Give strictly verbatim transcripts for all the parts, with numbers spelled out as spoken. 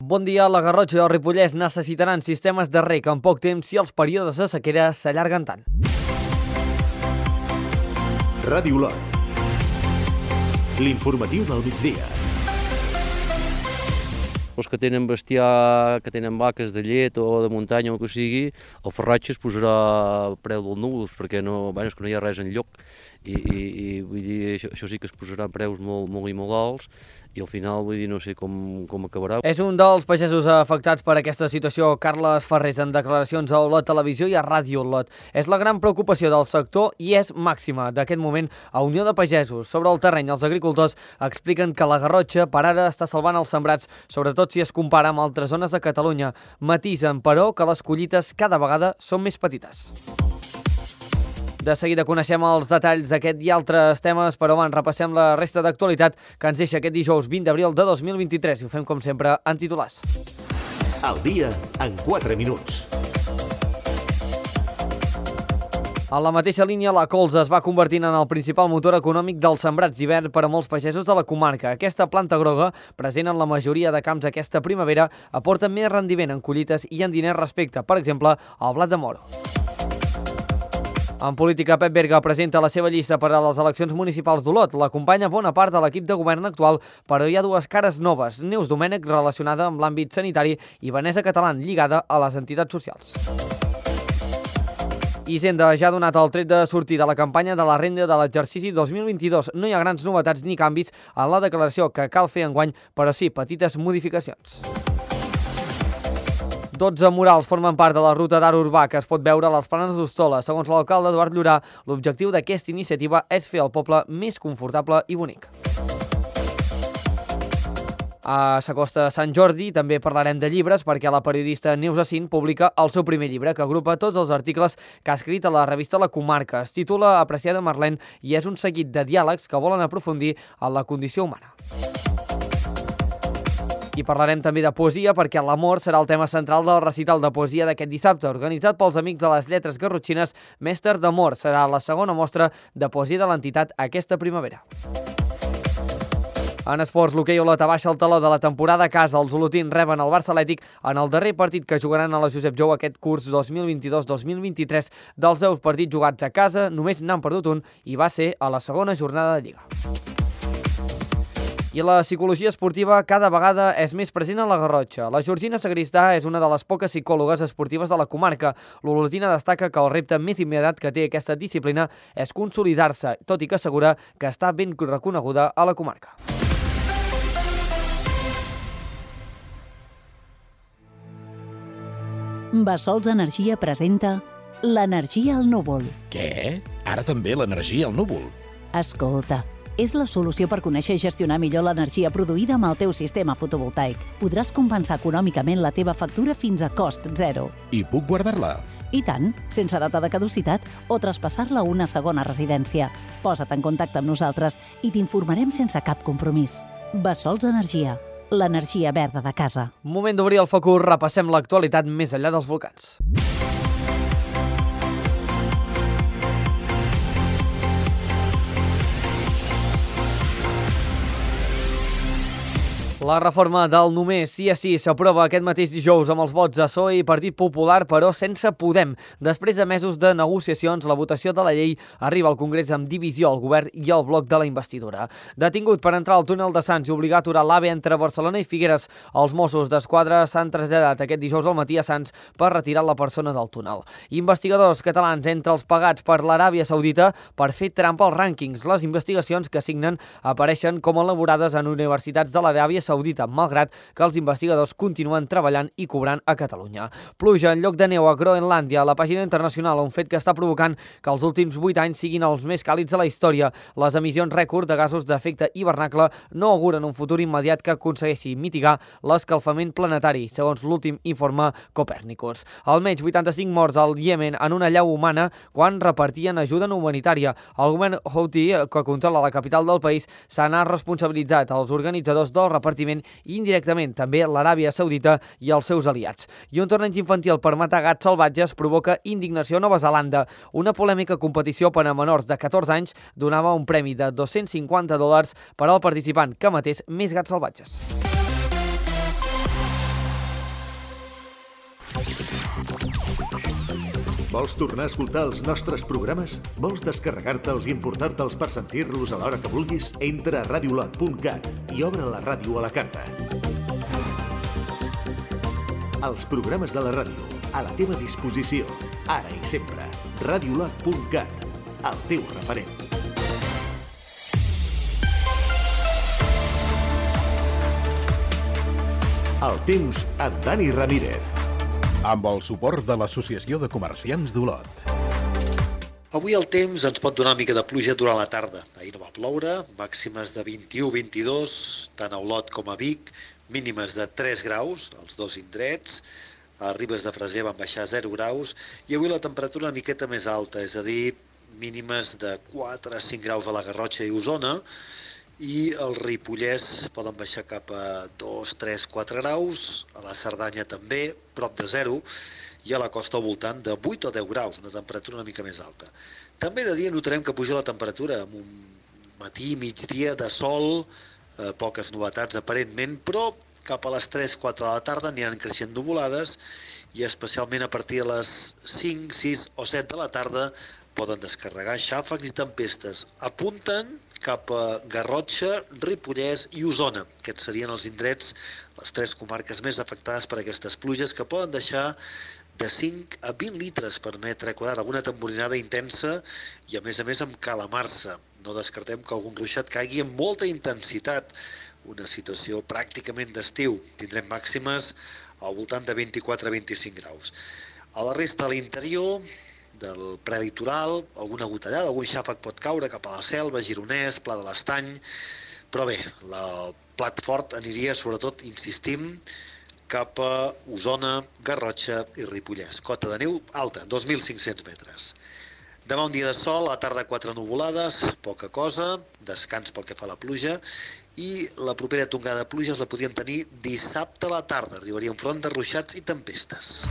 Bon dia. La Garrotxa i el Ripollès necessitaran sistemes de reg en poc temps si els períodes de sequera s'allarguen tant. Ràdio Lot. L'informatiu del migdia. Els que tenen bestiar, que tenen vaques de llet o de muntanya o el que sigui, el farratge es posarà a preu del núvols, perquè no, bueno, és que no hi ha res enlloc. I, i, i vull dir, això, això sí que es posarà a preus molt, molt i molt alts, i al final, vull dir, no sé com, com acabarà. És un dels pagesos afectats per aquesta situació, Carles Ferrés, en declaracions a Olot Televisió i a Ràdio Olot. És la gran preocupació del sector i és màxima d'aquest moment a Unió de Pagesos. Sobre el terreny, els agricultors expliquen que la Garrotxa per ara està salvant els sembrats, sobretot si es compara amb altres zones de Catalunya. Matisen, però, que les collites cada vegada són més petites. De seguida coneixem els detalls d'aquest i altres temes, però abans repassem la resta d'actualitat que ens deixa aquest dijous vint d'abril de dos mil vint-i-tres i ho fem, com sempre, en titulars. El dia en quatre minuts. En la mateixa línia, la colza es va convertint en el principal motor econòmic dels sembrats d'hivern per a molts pagesos de la comarca. Aquesta planta groga, present en la majoria de camps aquesta primavera, aporta més rendiment en collites i en diners respecte, per exemple, al blat de moro. En política, Pep Berga presenta la seva llista per a les eleccions municipals d'Olot. L'acompanya bona part de l'equip de govern actual, però hi ha dues cares noves. Neus Domènech, relacionada amb l'àmbit sanitari, i Vanessa Catalán, lligada a les entitats socials. Hisenda ja ha donat el tret de sortir de la campanya de la renda de l'exercici dos mil vint-i-dos. No hi ha grans novetats ni canvis en la declaració que cal fer enguany, però sí petites modificacions. dotze murals formen part de la ruta d'art urbà que es pot veure a les Planes d'Hostola. Segons l'alcalde Eduard Llorà, l'objectiu d'aquesta iniciativa és fer el poble més confortable i bonic. A s'acosta Sant Jordi, també parlarem de llibres perquè la periodista Neus Acín publica el seu primer llibre que agrupa tots els articles que ha escrit a la revista La Comarca. Es titula Apreciada Marlèn i és un seguit de diàlegs que volen aprofundir en la condició humana. I parlarem també de poesia perquè l'amor serà el tema central del recital de poesia d'aquest dissabte, organitzat pels Amics de les Lletres Garrotxines. Mestre d'Amor serà la segona mostra de poesia de l'entitat aquesta primavera. En esports, l'hoquei Olot abaixa el taló de la temporada a casa. Els olotins reben el Barça Atlètic en el darrer partit que jugaran a la Josep Jou aquest curs dos mil vint-i-dos dos mil vint-i-tres. Dels deu partits jugats a casa, només n'han perdut un i va ser a la segona jornada de Lliga. I la psicologia esportiva cada vegada és més present a la Garrotxa. La Georgina Sagristà és una de les poques psicòlogues esportives de la comarca. L'olotina destaca que el repte més immediat que té aquesta disciplina és consolidar-se, tot i que assegura que està ben reconeguda a la comarca. Bassols Energia presenta l'energia al núvol. Què? Ara també l'energia al núvol? Escolta, és la solució per conèixer i gestionar millor l'energia produïda amb el teu sistema fotovoltaic. Podràs compensar econòmicament la teva factura fins a cost zero. I puc guardar-la? I tant, sense data de caducitat o traspassar-la a una segona residència. Posa't en contacte amb nosaltres i t'informarem sense cap compromís. Bassols Energia, l'energia verda de casa. Moment d'obrir el focus, repassem l'actualitat més enllà dels volcans. La reforma del només sí a sí s'aprova aquest mateix dijous amb els vots de P S O E i Partit Popular, però sense Podem. Després de mesos de negociacions, la votació de la llei arriba al Congrés amb divisió al govern i al bloc de la investidura. Detingut per entrar al túnel de Sants i obligar a aturar l'AVE entre Barcelona i Figueres, els Mossos d'Esquadra s'han traslladat aquest dijous al matí a Sants per retirar la persona del túnel. Investigadors catalans entre els pagats per l'Aràbia Saudita per fer trampa als rànquings. Les investigacions que signen apareixen com elaborades en universitats de l'Aràbia Saudita, malgrat que els investigadors continuen treballant i cobrant a Catalunya. Pluja en lloc de neu a Groenlàndia, a la pàgina internacional, un fet que està provocant que els últims vuit anys siguin els més càlids de la història. Les emissions rècord de gasos d'efecte hivernacle no auguren un futur immediat que aconsegueixi mitigar l'escalfament planetari, segons l'últim informe Copèrnicus. Almenys vuitanta-cinc morts al Iemen en una llau humana quan repartien ajuda humanitària. El govern Houthi, que controla la capital del país, se n'ha responsabilitzat als organitzadors del repartiment i indirectament també l'Aràbia Saudita i els seus aliats. I un torneig infantil per matar gats salvatges provoca indignació a Nova Zelanda. Una polèmica competició per a menors de catorze anys donava un premi de dos-cents cinquanta dòlars per al participant que matés més gats salvatges. Vols tornar a escoltar els nostres programes? Vols descarregar-te'ls i importar-te'ls per sentir-los a l'hora que vulguis? Entra a radiolot punt cat i obre la ràdio a la carta. Els programes de la ràdio, a la teva disposició, ara i sempre. radiolot punt cat, el teu referent. El temps amb Dani Ramírez. Amb el suport de l'Associació de Comerciants d'Olot. Avui el temps ens pot donar una mica de pluja durant la tarda. Ahir no va ploure, màximes de vint-i-u a vint-i-dos, tant a Olot com a Vic, mínimes de tres graus, als dos indrets. A Ribes de Freser van baixar zero graus i avui la temperatura una miqueta més alta, és a dir, mínimes de quatre a cinc graus a la Garrotxa i Osona, i el Ripollès poden baixar cap a dos, tres, quatre graus, a la Cerdanya també, prop de zero, i a la costa al voltant de vuit o deu graus, una temperatura una mica més alta. També de dia notarem que puja la temperatura, amb un matí, migdia de sol, eh, poques novetats aparentment, però cap a les tres, quatre de la tarda aniran creixent nuvolades i especialment a partir de les cinc, sis o set de la tarda poden descarregar xàfecs i tempestes. Apunten cap a Garrotxa, Ripollès i Osona. Aquests serien els indrets, les tres comarques més afectades per aquestes pluges, que poden deixar de cinc a vint litres per metre quadrat, alguna temporinada intensa i a més a més amb calamarsa. No descartem que algun ruixat caigui amb molta intensitat, una situació pràcticament d'estiu. Tindrem màximes al voltant de vint-i-quatre a vint-i-cinc graus. A la resta de l'interior, del prelitoral, alguna gotellada, algun xàfec pot caure cap a la Selva, Gironès, Pla de l'Estany, però bé, el plat fort aniria sobretot, insistim, cap a Osona, Garrotxa i Ripollès. Cota de neu alta, dos mil cinc-cents metres. Demà un dia de sol, a la tarda quatre nuvolades, poca cosa, descans pel que fa a la pluja, i la propera tongada de pluges la podríem tenir dissabte a la tarda. Arribaria un front de ruixats i tempestes.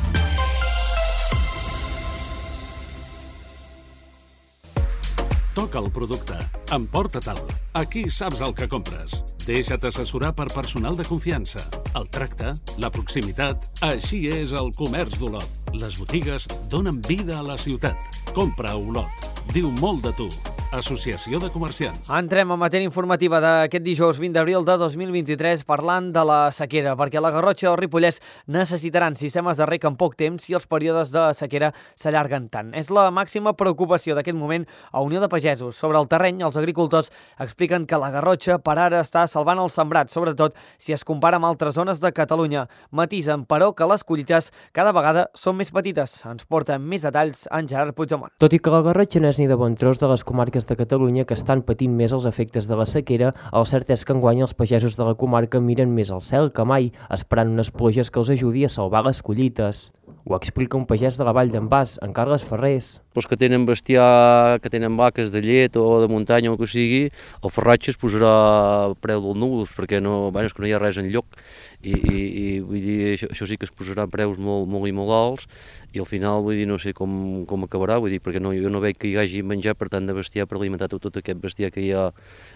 Toca el producte. Emporta-te'l. Aquí saps el que compres. Deixa't assessorar per personal de confiança. El tracte, la proximitat... Així és el comerç d'Olot. Les botigues donen vida a la ciutat. Compra a Olot. Diu molt de tu. Associació de Comerciants. Entrem a matèria informativa d'aquest dijous vint d'abril de dos mil vint-i-tres parlant de la sequera, perquè la Garrotxa o el Ripollès necessitaran sistemes de reg en poc temps si els períodes de sequera s'allarguen tant. És la màxima preocupació d'aquest moment a Unió de Pagesos. Sobre el terreny, els agricultors expliquen que la Garrotxa per ara està salvant el sembrat, sobretot si es compara amb altres zones de Catalunya. Matisen, però, que les collites cada vegada són més petites. Ens porta més detalls en Gerard Puigdemont. Tot i que la Garrotxa no és ni de bon tros de les comarques de Catalunya que estan patint més els efectes de la sequera, el cert és que enguany els pagesos de la comarca miren més al cel que mai, esperant unes pluges que els ajudi a salvar les collites. Ho explica un pagès de la Vall d'en Bas, en Carles Ferrés. Els que tenen bestiar, que tenen vaques de llet o de muntanya o el que sigui, el ferratge es posarà a preu del núvols, perquè no, bueno, és que no hi ha res enlloc. I, i, i vull dir, això, això sí que es posarà a preus molt, molt i molt alts, i al final vull dir, no sé com, com acabarà, vull dir, perquè no, jo no veig que hi hagi menjar per tant de bestiar per alimentar tot, tot aquest bestiar que hi ha,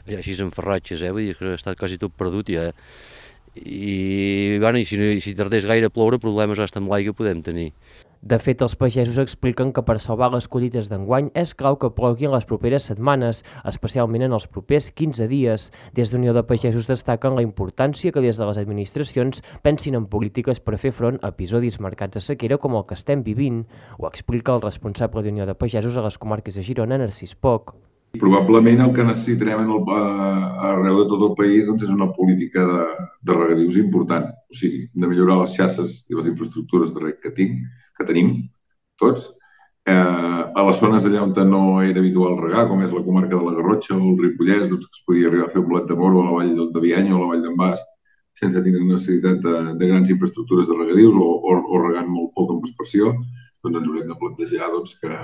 hi ha així en ferratges, eh? Vull dir que està quasi tot perdut ja, eh? I, bueno, i si, si tardés gaire a ploure, problemes hasta amb l'aigua podem tenir. De fet, els pagesos expliquen que per salvar les collites d'enguany és clau que plogui en les properes setmanes, especialment en els propers quinze dies. Des d'Unió de Pagesos destaquen la importància que des de les administracions pensin en polítiques per fer front a episodis marcats de sequera com el que estem vivint. Ho explica el responsable d'Unió de Pagesos a les comarques de Girona, Narcís Poch. Probablement el que necessitarem en el, arreu de tot el país doncs, és una política de, de regadius important. O sigui, de millorar les xarxes i les infraestructures de reg que, tinc, que tenim, tots. Eh, a les zones allà on no era habitual regar, com és la comarca de la Garrotxa o el Ripollès, doncs, que es podia arribar a fer un blat de moro a la vall de Bianya o a la vall d'en Bas, sense tenir necessitat de, de grans infraestructures de regadius o, o, o regant molt poc amb aspersió, doncs ens haurem de plantejar doncs, que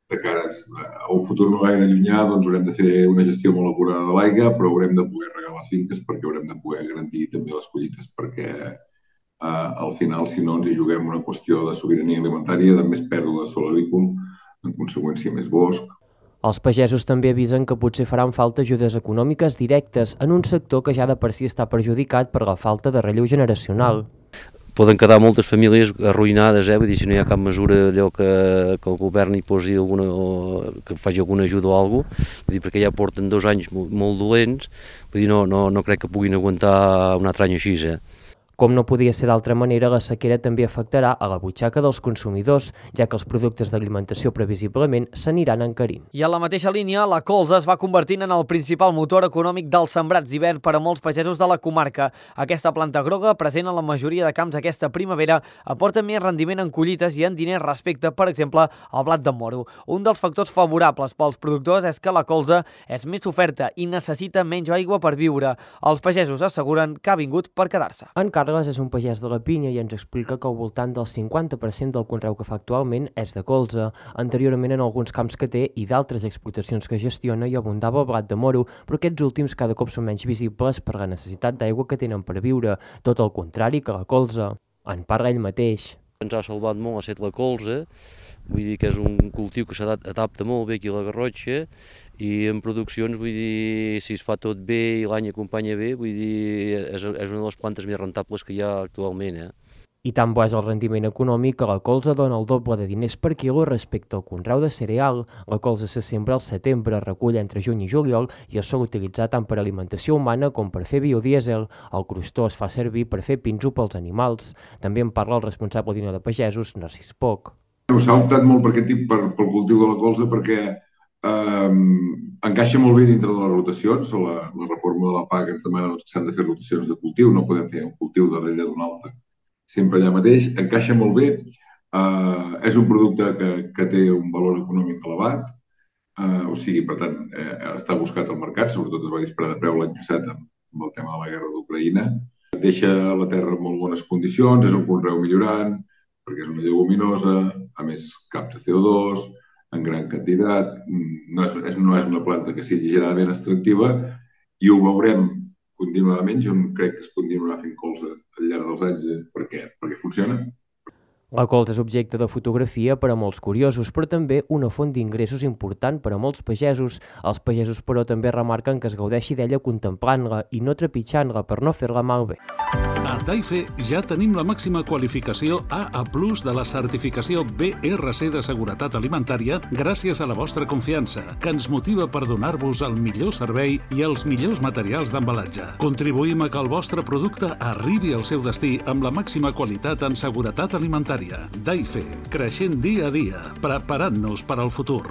de cara a un futur no gaire llunyà, doncs haurem de fer una gestió molt acurada de l'aigua, però haurem de poder regar les finques perquè haurem de poder garantir també les collites, perquè eh, al final, si no, ens hi juguem una qüestió de sobirania alimentària, de més pèrdua de sòl agrícola, en conseqüència més bosc. Els pagesos també avisen que potser faran falta ajudes econòmiques directes en un sector que ja de per si està perjudicat per la falta de relleu generacional. poden quedar moltes famílies arruïnades, eh? Vull dir, si no hi ha cap mesura allò que, que el govern hi posi alguna, o que faci alguna ajuda o alguna cosa, vull dir, perquè ja porten dos anys molt, molt dolents, vull dir, no, no, no crec que puguin aguantar un altre any així, eh? Com no podia ser d'altra manera, la sequera també afectarà a la butxaca dels consumidors, ja que els productes d'alimentació previsiblement s'aniran encarint. I en la mateixa línia, la colza es va convertint en el principal motor econòmic dels sembrats d'hivern per a molts pagesos de la comarca. Aquesta planta groga, present en la majoria de camps aquesta primavera, aporta més rendiment en collites i en diners respecte, per exemple, al blat de moro. Un dels factors favorables pels productors és que la colza és més oferta i necessita menys aigua per viure. Els pagesos asseguren que ha vingut per quedar-se. En Carles és un pagès de la Pinya i ens explica que al voltant del cinquanta per cent del conreu que fa actualment és de colza. Anteriorment en alguns camps que té i d'altres explotacions que gestiona hi abundava el blat de moro, però aquests últims cada cop són menys visibles per la necessitat d'aigua que tenen per viure, tot el contrari que la colza. En parla ell mateix. Ens ha salvat molt, ha estat la colza, vull dir que és un cultiu que s'adapta molt bé aquí a la Garrotxa i en produccions, vull dir, si es fa tot bé i l'any acompanya bé, vull dir, és, és una de les plantes més rentables que hi ha actualment, eh? I tan bo és el rendiment econòmic que la colza dona el doble de diners per quilo respecte al conreu de cereal. La colza se sembra al setembre, recull entre juny i juliol i es sol utilitzar tant per alimentació humana com per fer biodièsel. El crostó es fa servir per fer pinso pels animals. També en parla el responsable d'Unió de Pagesos, Narcís Poch. S'ha optat molt per aquest tip, per, pel cultiu de la colza, perquè eh, encaixa molt bé dintre de les rotacions. La, la reforma de la P A C ens demana doncs, que s'han de fer rotacions de cultiu, no podem fer un cultiu darrere d'un altre, sempre allà mateix. Encaixa molt bé, eh, és un producte que, que té un valor econòmic elevat, eh, o sigui, per tant, eh, està buscat al mercat, sobretot es va disparar de preu l'any passat amb, amb el tema de la guerra d'Ucraïna. Deixa la terra en molt bones condicions, és un conreu millorant, perquè és una lleguminosa, a més capta C O dos en gran quantitat, no és, no és una planta que sigui generalment extractiva i ho veurem continuadament. Jo crec que es continuarà fent colza al llarg dels anys. Per què? Perquè funciona. La colza és objecte de fotografia per a molts curiosos, però també una font d'ingressos important per a molts pagesos. Els pagesos, però, també remarquen que es gaudeixi d'ella contemplant-la i no trepitjant-la per no fer-la malbé. A Daife ja tenim la màxima qualificació A A plus de la certificació B R C de seguretat alimentària gràcies a la vostra confiança, que ens motiva per donar-vos el millor servei i els millors materials d'embalatge. Contribuïm a que el vostre producte arribi al seu destí amb la màxima qualitat en seguretat alimentària. Daife, creixent dia a dia, preparant-nos per al futur.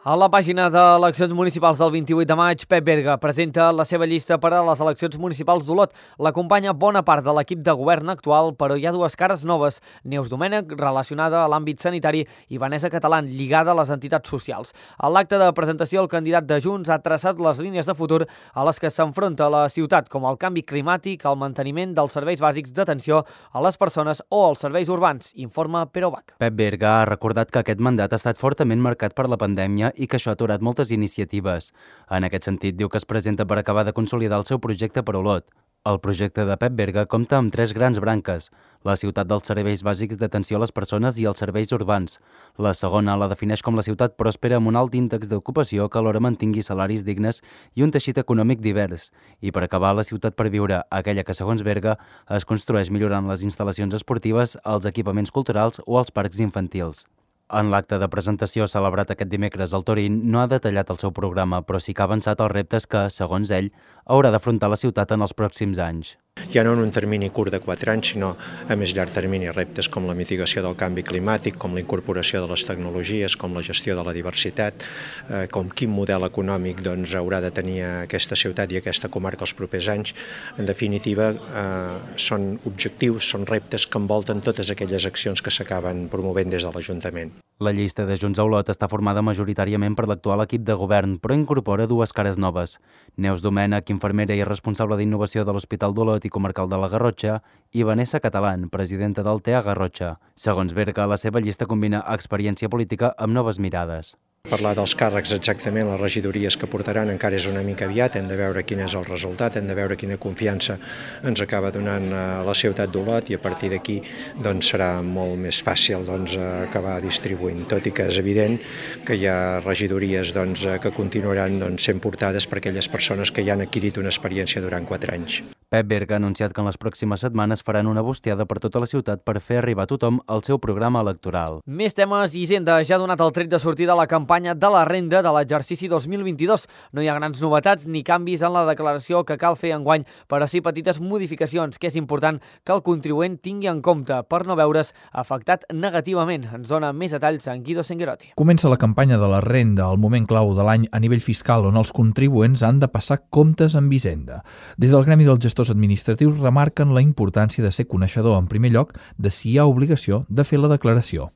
A la pàgina d'eleccions municipals del vint-i-vuit de maig, Pep Berga presenta la seva llista per a les eleccions municipals d'Olot. L'acompanya bona part de l'equip de govern actual, però hi ha dues cares noves. Neus Domènech, relacionada a l'àmbit sanitari, i Vanessa Catalán, lligada a les entitats socials. A l'acte de presentació, el candidat de Junts ha traçat les línies de futur a les que s'enfronta la ciutat, com el canvi climàtic, el manteniment dels serveis bàsics d'atenció a les persones o els serveis urbans, informa Pere Bach. Pep Berga ha recordat que aquest mandat ha estat fortament marcat per la pandèmia i que això ha aturat moltes iniciatives. En aquest sentit, diu que es presenta per acabar de consolidar el seu projecte per Olot. El projecte de Pep Berga compta amb tres grans branques: la ciutat dels serveis bàsics d'atenció a les persones i els serveis urbans. La segona la defineix com la ciutat pròspera amb un alt índex d'ocupació que alhora mantingui salaris dignes i un teixit econòmic divers. I per acabar, la ciutat per viure, aquella que, segons Berga, es construeix millorant les instal·lacions esportives, els equipaments culturals o els parcs infantils. En l'acte de presentació celebrat aquest dimecres, el Torín no ha detallat el seu programa, però sí que ha avançat els reptes que, segons ell, haurà d'afrontar la ciutat en els pròxims anys. Ja no en un termini curt de quatre anys, sinó a més llarg termini, reptes com la mitigació del canvi climàtic, com la incorporació de les tecnologies, com la gestió de la diversitat, eh, com quin model econòmic doncs, haurà de tenir aquesta ciutat i aquesta comarca els propers anys. En definitiva, eh, són objectius, són reptes que envolten totes aquelles accions que s'acaben promovent des de l'Ajuntament. La llista de Junts a Olot està formada majoritàriament per l'actual equip de govern, però incorpora dues cares noves. Neus Domènech, infermera i responsable d'innovació de l'Hospital d'Olot i comarcal de la Garrotxa, i Vanessa Catalán, presidenta del T E A Garrotxa. Segons Berga, la seva llista combina experiència política amb noves mirades. Parlar dels càrrecs exactament, les regidories que portaran encara és una mica aviat, hem de veure quin és el resultat, hem de veure quina confiança ens acaba donant la ciutat d'Olot i a partir d'aquí doncs, serà molt més fàcil doncs, acabar distribuint, tot i que és evident que hi ha regidories doncs, que continuaran doncs, sent portades per aquelles persones que ja han adquirit una experiència durant quatre anys. Pep Berga ha anunciat que en les pròximes setmanes faran una bustiada per tota la ciutat per fer arribar a tothom el seu programa electoral. Més temes. Hisenda ja ha donat el tret de sortida a la campanya de la renda de l'exercici dos mil vint-i-dos. No hi ha grans novetats ni canvis en la declaració que cal fer enguany, però sí petites modificacions, que és important que el contribuent tingui en compte per no veure's afectat negativament. Ens dona més detalls en Guido Senguerotti. Comença la campanya de la renda, el moment clau de l'any a nivell fiscal on els contribuents han de passar comptes amb Hisenda. Des del Gremi dels Gestors administratius remarquen la importància de ser coneixedor en primer lloc de si hi ha obligació de fer la declaració.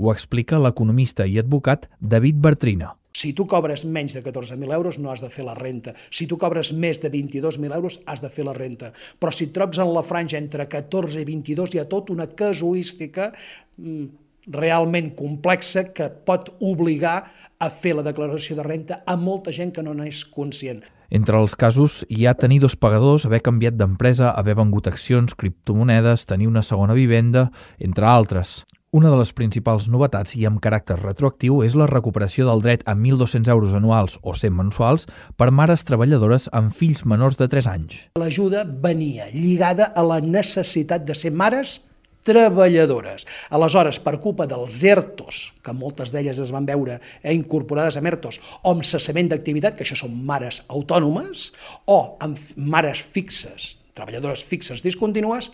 Ho explica l'economista i advocat David Bartrina. Si tu cobres menys de catorze mil euros no has de fer la renta. Si tu cobres més de vint-i-dos mil euros has de fer la renta. Però si et trobes en la franja entre catorze i vint-i-dos hi ha tota una casuística realment complexa que pot obligar a fer la declaració de renta a molta gent que no n'és conscient. Entre els casos hi ha tenir dos pagadors, haver canviat d'empresa, haver vengut accions, criptomonedes, tenir una segona vivenda, entre altres. Una de les principals novetats i amb caràcter retroactiu és la recuperació del dret a mil dos-cents euros anuals o cent mensuals per mares treballadores amb fills menors de tres anys. L'ajuda venia lligada a la necessitat de ser mares treballadores. Aleshores, per culpa dels ERTOs, que moltes d'elles es van veure eh, incorporades a ERTOs, o amb cessament d'activitat, que això són mares autònomes, o amb mares fixes, treballadores fixes discontínues,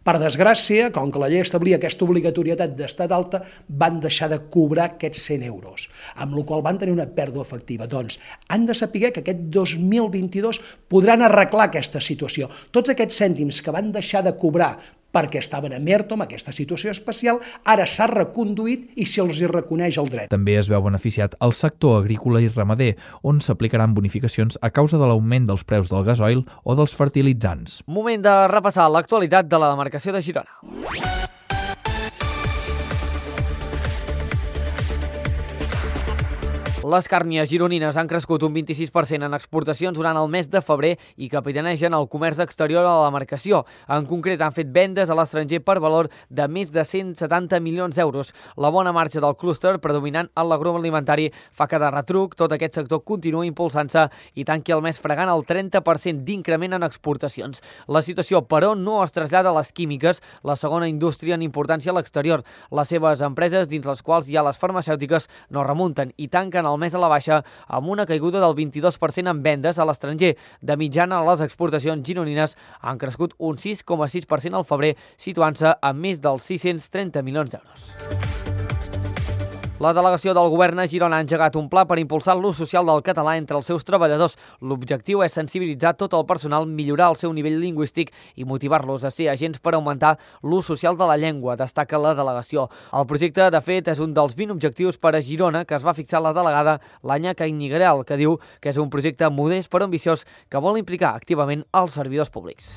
per desgràcia, com que la llei establia aquesta obligatorietat d'estar d'alta, van deixar de cobrar aquests cent euros, amb la qual van tenir una pèrdua efectiva. Doncs han de saber que aquest dos mil vint-i-dos podran arreglar aquesta situació. Tots aquests cèntims que van deixar de cobrar perquè estaven en ERTO, amb aquesta situació especial, ara s'ha reconduït i se'ls hi reconeix el dret. També es veu beneficiat el sector agrícola i ramader, on s'aplicaran bonificacions a causa de l'augment dels preus del gasoil o dels fertilitzants. Moment de repassar l'actualitat de la demarcació de Girona. Les càrnies gironines han crescut un vint-i-sis per cent en exportacions durant el mes de febrer i capitanegen el comerç exterior a la demarcació. En concret, han fet vendes a l'estranger per valor de més de cent setanta milions d'euros. La bona marxa del clúster, predominant en l'agroalimentari, fa que de retruc tot aquest sector continua impulsant-se i tanqui el mes fregant el trenta per cent d'increment en exportacions. La situació, però, no es trasllada a les químiques, la segona indústria en importància a l'exterior. Les seves empreses, dins les quals hi ha les farmacèutiques, no remunten i tanquen el mes a la baixa amb una caiguda del vint-i-dos per cent en vendes a l'estranger. De mitjana, les exportacions gironines han crescut un sis coma sis per cent al febrer, situant-se a més dels sis-cents trenta milions d'euros. La delegació del govern a Girona ha engegat un pla per impulsar l'ús social del català entre els seus treballadors. L'objectiu és sensibilitzar tot el personal, millorar el seu nivell lingüístic i motivar-los a ser agents per augmentar l'ús social de la llengua, destaca la delegació. El projecte, de fet, és un dels vint objectius per a Girona que es va fixar la delegada l'Anya Cañigueral, que diu que és un projecte modest però ambiciós que vol implicar activament els servidors públics.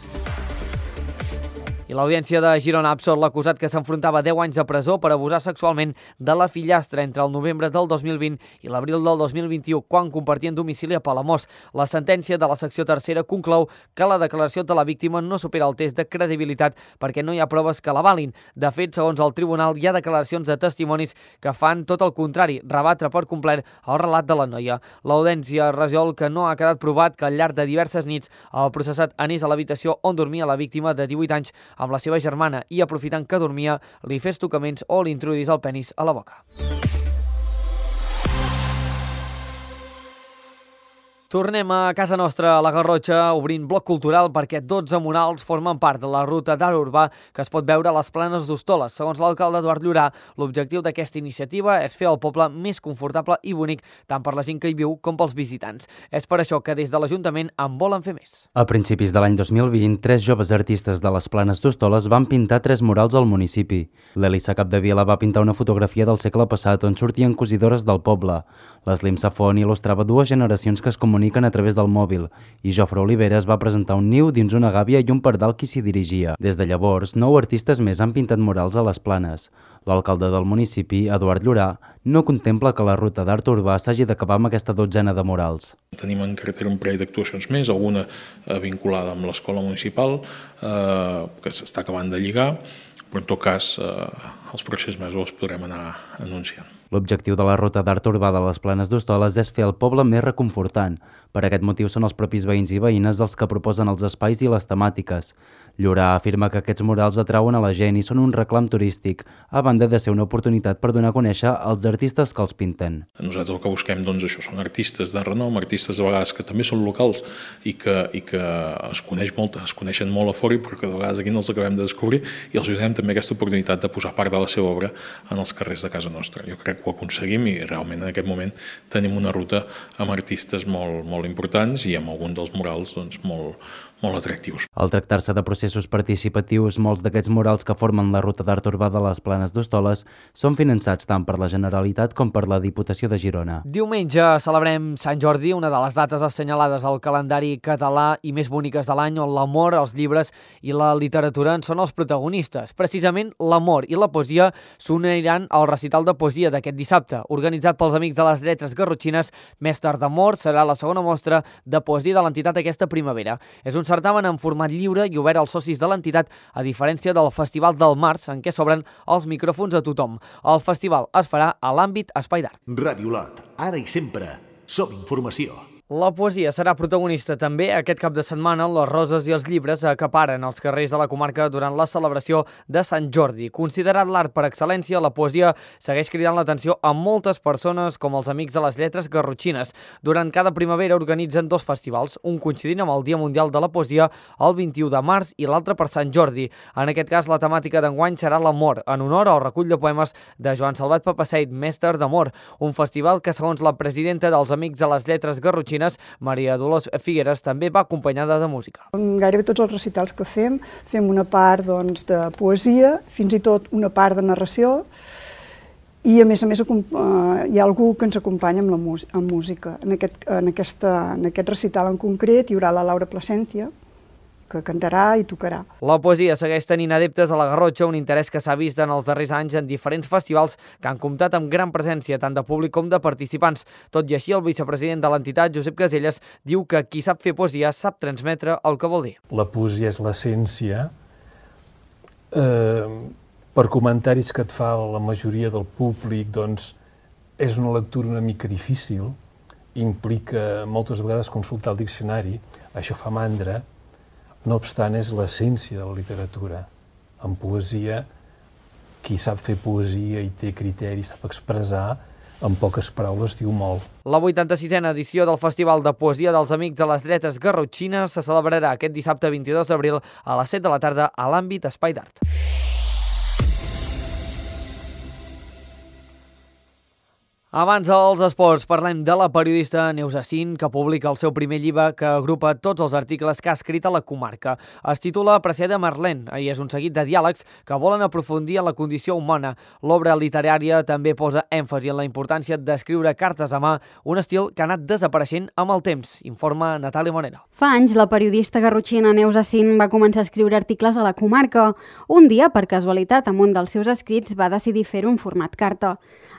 I l'Audiència de Girona ha absolt l'acusat que s'enfrontava deu anys de presó per abusar sexualment de la fillastra entre el novembre del dos mil vint i l'abril del dos mil vint-i-u, quan compartien domicili a Palamós. La sentència de la secció tercera conclou que la declaració de la víctima no supera el test de credibilitat perquè no hi ha proves que l'avalin. De fet, segons el tribunal, hi ha declaracions de testimonis que fan tot el contrari, rebatre per complet el relat de la noia. L'Audiència resol que no ha quedat provat que al llarg de diverses nits el processat anés a l'habitació on dormia la víctima de divuit anys amb la seva germana i, aprofitant que dormia, li fes tocaments o li introduís el penis a la boca. Tornem a casa nostra, a la Garrotxa, obrint bloc cultural perquè dotze murals formen part de la ruta d'art urbà que es pot veure a les Planes d'Hostoles. Segons l'alcalde Eduard Llorà, l'objectiu d'aquesta iniciativa és fer el poble més confortable i bonic tant per la gent que hi viu com pels visitants. És per això que des de l'Ajuntament en volen fer més. A principis de l'any dos mil vint, tres joves artistes de les Planes d'Hostoles van pintar tres murals al municipi. L'Elisa Capdevila va pintar una fotografia del segle passat on sortien cosidores del poble. L'Eslim Safon il·lustrava dues generacions que es comuniquen a través del mòbil i Jofre Oliveres va presentar un niu dins una gàbia i un pardal qui s'hi dirigia. Des de llavors, nou artistes més han pintat murals a les Planes. L'alcalde del municipi, Eduard Llorà, no contempla que la ruta d'art urbà s'hagi d'acabar amb aquesta dotzena de murals. Tenim en cartera un parell d'actuacions més, alguna vinculada amb l'escola municipal, eh, que s'està acabant de lligar, però en tot cas eh, els pròxims mesos els podrem anar anunciant. L'objectiu de la ruta d'art urbà de les Planes d'Hostoles és fer el poble més reconfortant. Per aquest motiu són els propis veïns i veïnes els que proposen els espais i les temàtiques. Llorà afirma que aquests murals atrauen a la gent i són un reclam turístic, a banda de ser una oportunitat per donar a conèixer els artistes que els pinten. Nosaltres el que busquem doncs, això són artistes de renom, artistes a vegades que també són locals i que, i que es, coneix molt, es coneixen molt a fora, però que de vegades aquí no els acabem de descobrir, i els donem també aquesta oportunitat de posar part de la seva obra en els carrers de casa nostra. Jo crec que ho aconseguim i realment en aquest moment tenim una ruta amb artistes molt, molt importants i amb algun dels murals doncs, molt, molt atractius. Al tractar-se de processos participatius, molts d'aquests murals que formen la ruta d'art urbà de les Planes d'Hostoles són finançats tant per la Generalitat com per la Diputació de Girona. Diumenge celebrem Sant Jordi, una de les dates assenyalades al calendari català i més boniques de l'any, on l'amor, els llibres i la literatura en són els protagonistes. Precisament l'amor i la poesia s'uniran al recital de poesia d'aquest dissabte, organitzat pels Amics de les Lletres Garrotxines. Mestre d'Amor serà la segona mostra de poesia de l'entitat aquesta primavera. És un certamen en format lliure i obert als socis de l'entitat, a diferència del Festival del Març, en què s'obren els micròfons a tothom. El festival es farà a l'àmbit Espai d'Art. Ràdio Lot, ara i sempre. Som informació. La poesia serà protagonista també aquest cap de setmana on les roses i els llibres acaparen els carrers de la comarca durant la celebració de Sant Jordi. Considerat l'art per excel·lència, la poesia segueix cridant l'atenció a moltes persones com els Amics de les Lletres Garrotxines. Durant cada primavera organitzen dos festivals, un coincidint amb el Dia Mundial de la Poesia el vint-i-u de març i l'altre per Sant Jordi. En aquest cas, la temàtica d'enguany serà l'amor, en honor al recull de poemes de Joan Salvat Papaseit, Mestre d'Amor, un festival que, segons la presidenta dels Amics de les Lletres Garrotxines, Maria Dolors Figueres, també va acompanyada de música. Gairebé tots els recitals que fem, fem una part doncs, de poesia, fins i tot una part de narració, i a més a més hi ha algú que ens acompanya amb la música. En aquest, en, aquesta, en aquest recital en concret hi haurà la Laura Plasencia, que cantarà i tocarà. La poesia segueix tenint adeptes a la Garrotxa, un interès que s'ha vist en els darrers anys en diferents festivals que han comptat amb gran presència tant de públic com de participants. Tot i així, el vicepresident de l'entitat, Josep Caselles, diu que qui sap fer poesia sap transmetre el que vol dir. La poesia és l'essència. Eh, per comentaris que et fa la majoria del públic, doncs, és una lectura una mica difícil, implica moltes vegades consultar el diccionari, això fa mandra. No obstant, és l'essència de la literatura. En poesia, qui sap fer poesia i té criteri, sap expressar, en poques paraules diu molt. La vuitanta-sisena edició del Festival de Poesia dels Amics de les Lletres Garrotxines se celebrarà aquest dissabte vint-i-dos d'abril a les set de la tarda a l'àmbit Espai d'Art. Abans dels esports, parlem de la periodista Neus Acín, que publica el seu primer llibre que agrupa tots els articles que ha escrit a la comarca. Es titula Apreciada Marlèn i és un seguit de diàlegs que volen aprofundir en la condició humana. L'obra literària també posa èmfasi en la importància d'escriure cartes a mà, un estil que ha anat desapareixent amb el temps, informa Natàlia Monera. Fa anys, la periodista garrotxina Neus Acín va començar a escriure articles a la comarca. Un dia, per casualitat, amb un dels seus escrits va decidir fer un format carta.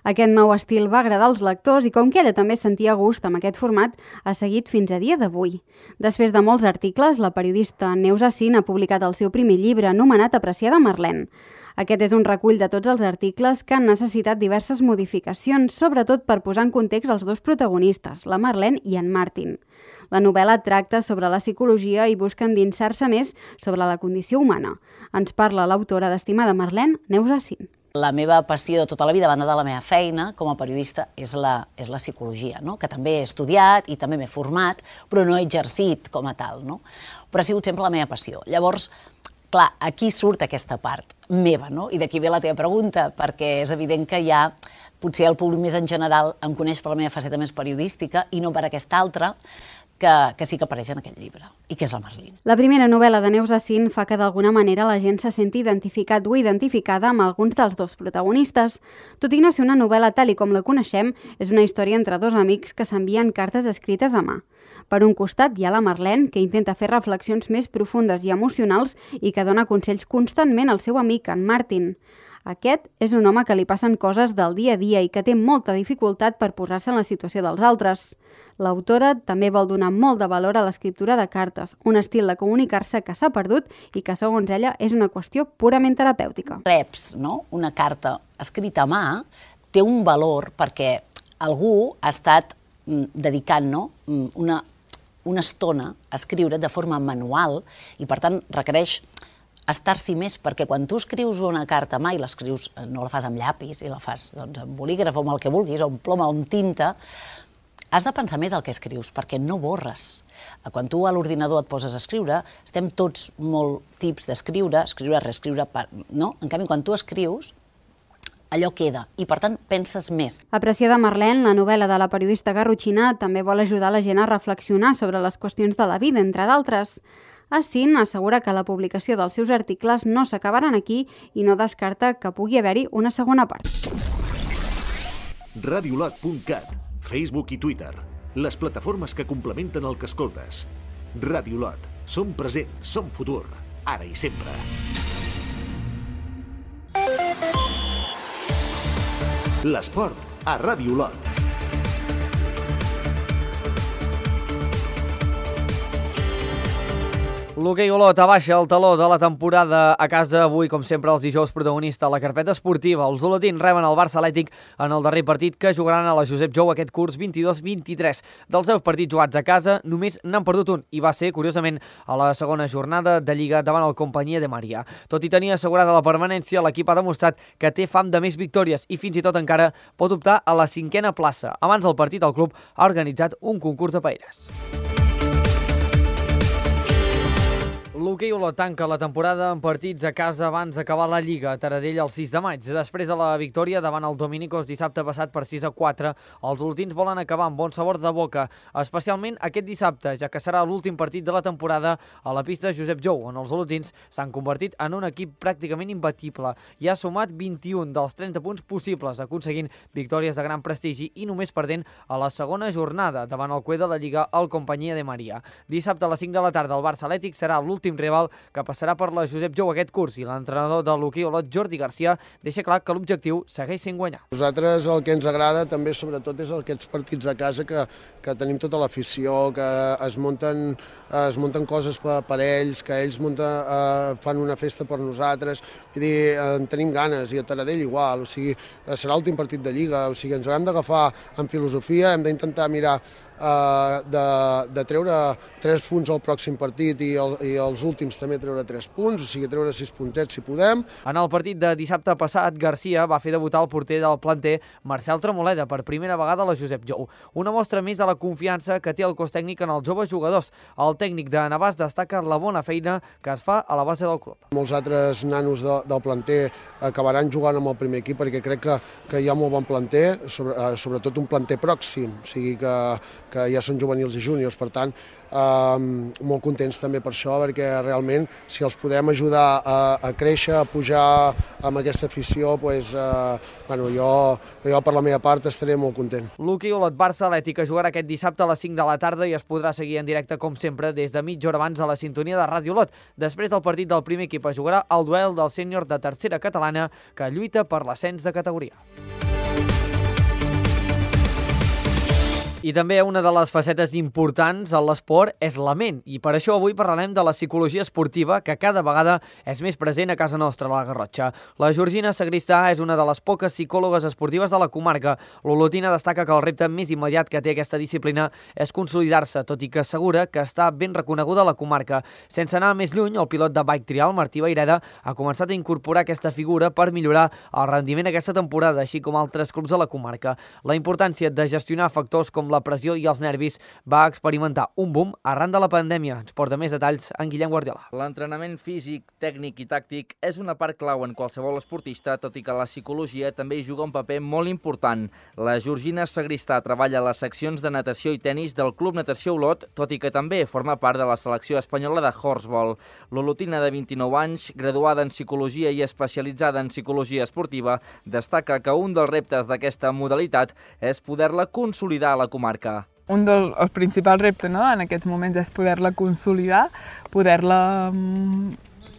Aquest nou estil va agradar als lectors i com que ella també sentia gust amb aquest format, ha seguit fins a dia d'avui. Després de molts articles, la periodista Neus Acín ha publicat el seu primer llibre anomenat Apreciada Marlèn. Aquest és un recull de tots els articles que han necessitat diverses modificacions, sobretot per posar en context els dos protagonistes, la Marlèn i en Martin. La novel·la tracta sobre la psicologia i busca endinsar-se més sobre la condició humana. Ens parla l'autora d'Estimada Marlèn, Neus Acín. La meva passió de tota la vida, a banda de la meva feina com a periodista, és la, és la psicologia, no? Que també he estudiat i també m'he format, però no he exercit com a tal, no? Però ha sigut sempre la meva passió. Llavors, clar, aquí surt aquesta part meva, no? I d'aquí ve la teva pregunta, perquè és evident que ja potser el públic més en general em coneix per la meva faceta més periodística i no per aquesta altra, que, que sí que apareix en aquest llibre, i que és el Marlín. La primera novel·la de Neus Acín fa que d'alguna manera la gent se senti identificat o identificada amb alguns dels dos protagonistes. Tot i no ser una novel·la tal i com la coneixem, és una història entre dos amics que s'envien cartes escrites a mà. Per un costat hi ha la Marlèn, que intenta fer reflexions més profundes i emocionals i que dona consells constantment al seu amic, en Martin. Aquest és un home que li passen coses del dia a dia i que té molta dificultat per posar-se en la situació dels altres. L'autora també vol donar molt de valor a l'escriptura de cartes, un estil de comunicar-se que s'ha perdut i que, segons ella, és una qüestió purament terapèutica. Reps, no? Una carta escrita a mà té un valor perquè algú ha estat dedicant no? una, una estona a escriure de forma manual i, per tant, requereix estar-s'hi més, perquè quan tu escrius una carta mai l'escrius, no la fas amb llapis i la fas doncs, amb bolígraf o amb el que vulguis, o amb ploma o amb tinta, has de pensar més el que escrius, perquè no borres. Quan tu a l'ordinador et poses a escriure, estem tots molt tips d'escriure, escriure, reescriure, no? En canvi, quan tu escrius, allò queda, i per tant penses més. Apreciada Marlene, la novel·la de la periodista garrotxina, també vol ajudar la gent a reflexionar sobre les qüestions de la vida, entre d'altres. Assin assegura que la publicació dels seus articles no s'acabaran aquí i no descarta que pugui haver-hi una segona part. radiolot punt cat, Facebook i Twitter, les plataformes que complementen el que escoltes. Radiolot, som present, som futur, ara i sempre. L'esport a Radiolot. L'hoquei Olot abaixa el taló de la temporada a casa. Avui, com sempre, els dijous protagonista a la carpeta esportiva. Els olotins reben el Barça Atlètic en el darrer partit que jugaran a la Josep Jou aquest curs vint-i-dos vint-i-tres. Dels deu partits jugats a casa, només n'han perdut un, i va ser, curiosament, a la segona jornada de Lliga davant el Companyia de Maria. Tot i tenir assegurada la permanència, l'equip ha demostrat que té fam de més victòries i fins i tot encara pot optar a la cinquena plaça. Abans del partit, el club ha organitzat un concurs de paelles. L'hoquei Olot tanca la temporada en partits a casa abans d'acabar la Lliga a Taradell el sis de maig. Després de la victòria davant el Dominicos dissabte passat per sis a quatre, els olotins volen acabar amb bon sabor de boca, especialment aquest dissabte, ja que serà l'últim partit de la temporada a la pista Josep Jou, on els olotins s'han convertit en un equip pràcticament imbatible i ha sumat vint-i-un dels trenta punts possibles, aconseguint victòries de gran prestigi i només perdent a la segona jornada davant el cué de la Lliga el Companyia de Maria. Dissabte a les cinc de la tarda el Barça Atlètic serà l'últim rival que passarà per la Josep Jou aquest curs i l'entrenador de l'hoquei Olot, Jordi Garcia, deixa clar que l'objectiu segueix sent guanyar. Nosaltres el que ens agrada també sobretot és aquests partits a casa que, que tenim tota l'afició, que es munten, es munten coses per, per ells, que ells munta, eh, fan una festa per nosaltres, vull dir, en tenim ganes, i a Taradell igual, o sigui, serà l'últim partit de Lliga, o sigui, ens hem d'agafar en filosofia, hem d'intentar mirar Uh, de, de treure tres punts al pròxim partit i, el, i els últims també treure tres punts, o sigui, treure sis puntets si podem. En el partit de dissabte passat, Garcia va fer debutar el porter del planter Marcel Tremoleda per primera vegada a la Josep Jou. Una mostra més de la confiança que té el cos tècnic en els joves jugadors. El tècnic de Navàs destaca la bona feina que es fa a la base del club. Molts altres nanos de, del planter acabaran jugant amb el primer equip perquè crec que, que hi ha molt bon planter, sobre, sobretot un planter pròxim, o sigui que que ja són juvenils i júniors, per tant, eh, molt contents també per això, perquè realment, si els podem ajudar a, a créixer, a pujar amb aquesta afició, doncs, eh, bueno, jo, jo per la meva part estaré molt content. L'hoquei Olot Barça Atlètic jugarà aquest dissabte a les cinc de la tarda i es podrà seguir en directe, com sempre, des de mitja hora abans a la sintonia de Ràdio Olot. Després del partit del primer equip es jugarà el duel del sènior de tercera catalana que lluita per l'ascens de categoria. I també una de les facetes importants en l'esport és la ment, i per això avui parlarem de la psicologia esportiva, que cada vegada és més present a casa nostra, a la Garrotxa. La Georgina Sagristà és una de les poques psicòlogues esportives de la comarca. L'olotina destaca que el repte més immediat que té aquesta disciplina és consolidar-se, tot i que assegura que està ben reconeguda a la comarca. Sense anar més lluny, el pilot de bike trial, Martí Vaireda, ha començat a incorporar aquesta figura per millorar el rendiment aquesta temporada, així com altres clubs de la comarca. La importància de gestionar factors com la pressió i els nervis va experimentar un boom arran de la pandèmia. Ens porta més detalls en Guillem Guardiola. L'entrenament físic, tècnic i tàctic és una part clau en qualsevol esportista, tot i que la psicologia també hi juga un paper molt important. La Georgina Sagristà treballa a les seccions de natació i tenis del Club Natació Olot, tot i que també forma part de la selecció espanyola de horseball. L'olotina de vint-i-nou anys, graduada en psicologia i especialitzada en psicologia esportiva, destaca que un dels reptes d'aquesta modalitat és poder-la consolidar a la comarca. Un dels els principals reptes, no?, en aquests moments és poder-la consolidar, poder-la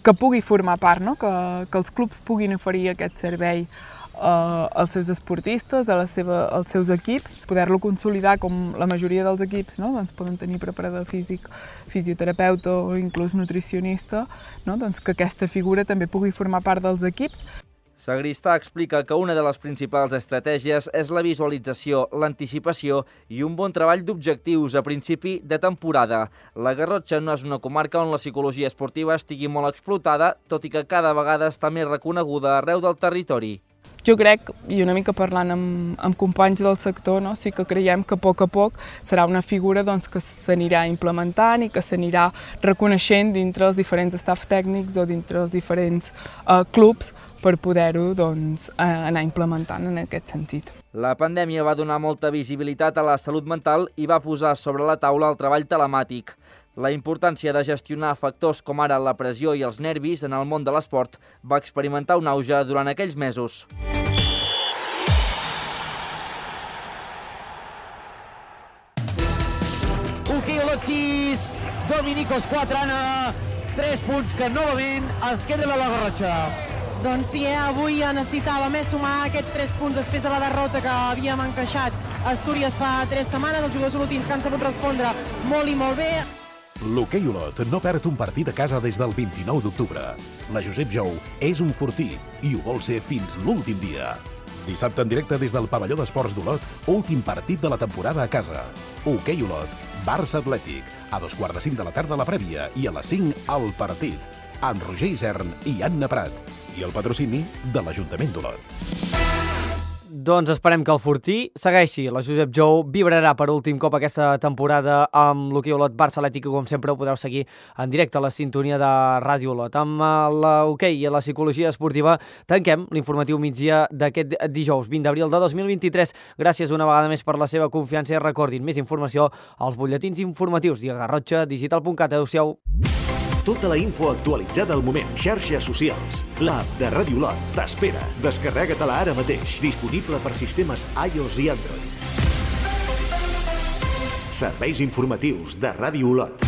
que pugui formar part, no?, que, que els clubs puguin oferir aquest servei eh, als seus esportistes, a la seva, als seus equips, poder-lo consolidar com la majoria dels equips, no?, doncs poden tenir preparador físic, fisioterapeuta o inclús nutricionista, no?, doncs que aquesta figura també pugui formar part dels equips. Sagristà explica que una de les principals estratègies és la visualització, l'anticipació i un bon treball d'objectius a principi de temporada. La Garrotxa no és una comarca on la psicologia esportiva estigui molt explotada, tot i que cada vegada està més reconeguda arreu del territori. Jo crec, i una mica parlant amb, amb companys del sector, no? Sí que creiem que a poc a poc serà una figura doncs, que s'anirà implementant i que s'anirà reconeixent dintre els diferents staff tècnics o dintre els diferents eh, clubs per poder-ho doncs, anar implementant en aquest sentit. La pandèmia va donar molta visibilitat a la salut mental i va posar sobre la taula el treball telemàtic. La importància de gestionar factors com ara la pressió i els nervis en el món de l'esport va experimentar un auge durant aquells mesos. Hoquei Olot sis, Dominicos quatre, Anna, tres punts que novament es queden a la Garrotxa. Doncs sí, eh? Avui necessitava més sumar aquests tres punts després de la derrota que havíem encaixat a Astúries fa tres setmanes. Els jugadors olotins que han sabut respondre molt i molt bé. L'Hoquei Olot no perd un partit a casa des del vint-i-nou d'octubre. La Josep Jou és un fortí i ho vol ser fins l'últim dia. Dissabte en directe des del pavelló d'esports d'Olot, últim partit de la temporada a casa. Hoquei Olot, Barça Atlètic, a dos quarts de cinc de la tarda la prèvia i a les cinc el partit, amb Roger Isern i Anna Prat, i el patrocini de l'Ajuntament d'Olot. Doncs esperem que el Fortí segueixi. La Josep Jou vibrarà per últim cop aquesta temporada amb l'Hoquei Olot Barça Atlètic, que com sempre ho podeu seguir en directe a la sintonia de Ràdio Olot. Amb l'hoquei i la psicologia esportiva tanquem l'informatiu migdia d'aquest dijous vint d'abril de dos mil vint-i-tres. Gràcies una vegada més per la seva confiança i recordin més informació als butlletins informatius i a garrotxa digital punt cat. Adéu-siau. Tota la info actualitzada al moment. Xarxes socials. L'app de Ràdio Olot t'espera. Descarrega-te-la ara mateix. Disponible per sistemes iOS i Android. Serveis informatius de Ràdio Olot.